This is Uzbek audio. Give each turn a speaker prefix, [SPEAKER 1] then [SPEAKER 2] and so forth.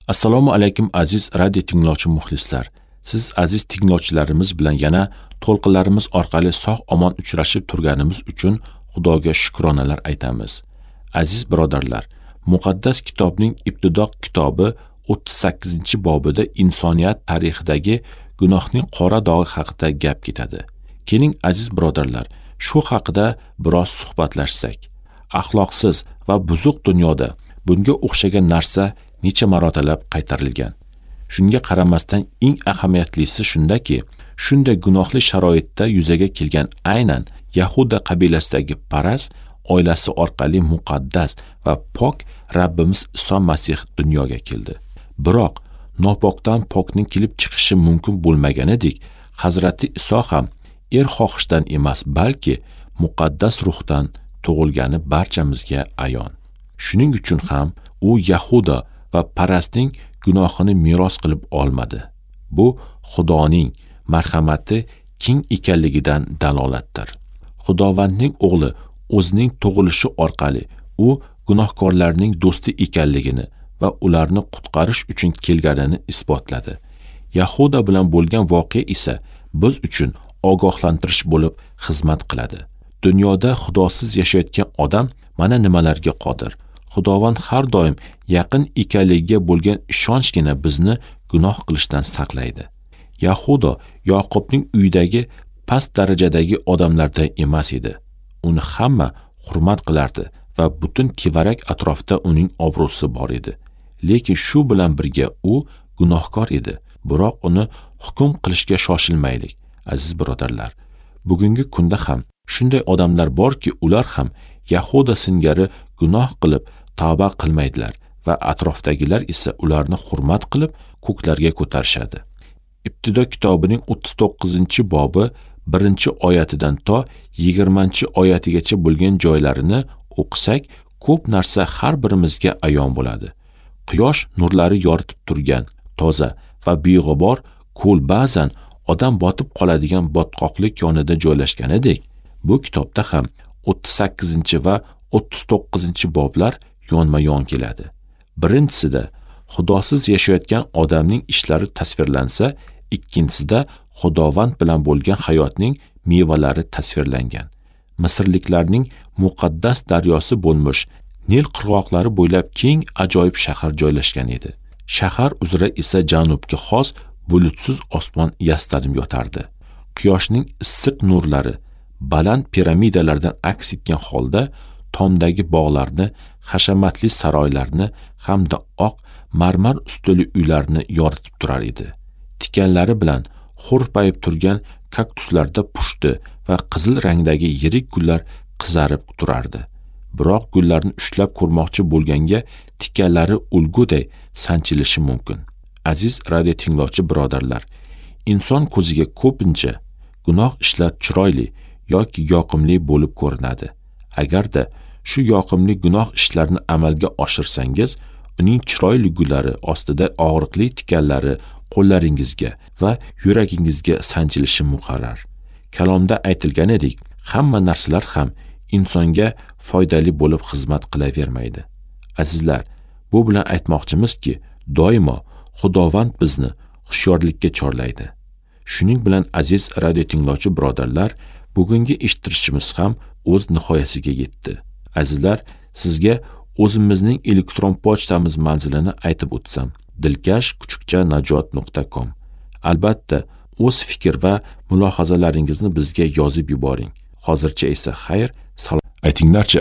[SPEAKER 1] Assalomu alaykum aziz radio tinglovchi muxlislar. Siz aziz tinglovchilarimiz bilan yana to'lqinlarimiz orqali sog' omon uchrashib turganimiz uchun Xudoga shukronalar aytamiz. Aziz birodarlar, Muqaddas kitobning Ibtido kitobi 38-bobida insoniyat tarixidagi gunohning qora dog'i haqida gap ketadi. Keling aziz birodarlar, shu haqida biroz suhbatlashsak. Axloqsiz va buzuq dunyoda bunga o'xshagan narsa necha marotalab qaytarilgan. Shunga qaramasdan eng ahamiyatlisi shundaki, shunday gunohli sharoitda yuzaga kelgan aynan Yahuda qabilasidagi Paras oilasi orqali muqaddas va pok Rabbimiz Iso Masih dunyoga keldi. Biroq nopokdan pokning kelib chiqishi mumkin bo'lmaganidek, Hazrati Iso ham xohishdan emas, balki muqaddas ruhdan tug'ilgani barchamizga ayon. Shuning uchun ham u Yahuda va Parasning gunohini meros qilib olmadi. Bu Xudoning marhamati keng ekanligidan dalolatdir. Xudovandning o'g'li o'zining tug'ilishi orqali u gunohkorlarning do'sti ekanligini va ularni qutqarish uchun kelganini isbotladi. Yahuda bilan bo'lgan voqea esa biz uchun ogohlantirish bo'lib xizmat qiladi. Dunyoda Xudosiz yashayotgan odam mana nimalarga qodir. Xudovand har doim yaqin ekanligiga bo'lgan ishonchgina bizni gunoh qilishdan saqlaydi. Yahuda Yoqubning uyidagi past darajadagi odamlardan emas edi. Uni hamma hurmat qilardi va butun tevarak atrofda uning obro'si bor edi. Lekin shu bilan birga u gunohkor edi. Biroq uni hukm qilishga shoshilmaylik, aziz birodarlar. Bugungi kunda ham shunday odamlar borki, ular ham Yahuda singari gunoh qilib tavba qilmaydilar va atrofdagilar esa ularni hurmat qilib ko'klarga ko'tarishadi. Ibtido kitobining 39-bobi 1-oyatidan to 20-oyatigacha bo'lgan joylarini o'qisak, ko'p narsa har birimizga ayon bo'ladi. Quyosh nurlari yoritib turgan toza va beg'ubor ko'l ba'zan odam botib qoladigan botqoqlik yonida joylashganidek, bu kitobda ham 38 va 39-boblar yonma-yon keladi. Birinchisida Xudosiz yashayotgan odamning ishlari tasvirlansa, ikkinchisida Xudovand bilan bo'lgan hayotning mevalari tasvirlangan. Misrliklarning muqaddas daryosi bo'lmish Nil qirg'oqlari bo'ylab keng ajoyib shahar joylashgan edi. Shahar uzra esa janubga xos bulutsiz osmon yastanib yotardi. Quyoshning issiq nurlari baland piramidalardan aks etgan holda tomdagi bog'larni, hashamatli saroylarni hamda oq marmar ustuli uylarni yoritib turar edi. Tikanlari bilan hurpayib turgan kaktuslarda pushti va qizil rangdagi yirik gullar qizarib turardi. Biroq gullarni ushlab ko'rmoqchi bo'lganga tikanlari ulguday sanchilishi mumkin. Aziz radio tinglovchi birodarlar, inson ko'ziga ko'pincha gunoh ishlar chiroyli yoki yoqimli bo'lib ko'rinadi. Agarda shu yoqimli gunoh ishlarni amalga oshirsangiz, uning chiroyli gullari ostida og'riqli tikanlari qo'llaringizga va yuragingizga sanchilishi muqarrar. Kalomda aytilganidek, hamma narsalar ham insonga foydali bo'lib xizmat qilavermaydi. Azizlar, bu bilan aytmoqchimizki, doimo Xudovand bizni hushyorlikka chorlaydi. Shuning bilan aziz radio tinglovchi birodarlar, bugungi eshittirishimiz ham o'z nihoyasiga yetdi. Azizlar, sizga o'zimizning elektron pochtamiz manzilini aytib o'tsam: dilkash@najot.com. Albatta, o'z fikr va mulohazalaringizni bizga yozib yuboring. Hozircha esa xayr, salom. Aytinglarchi.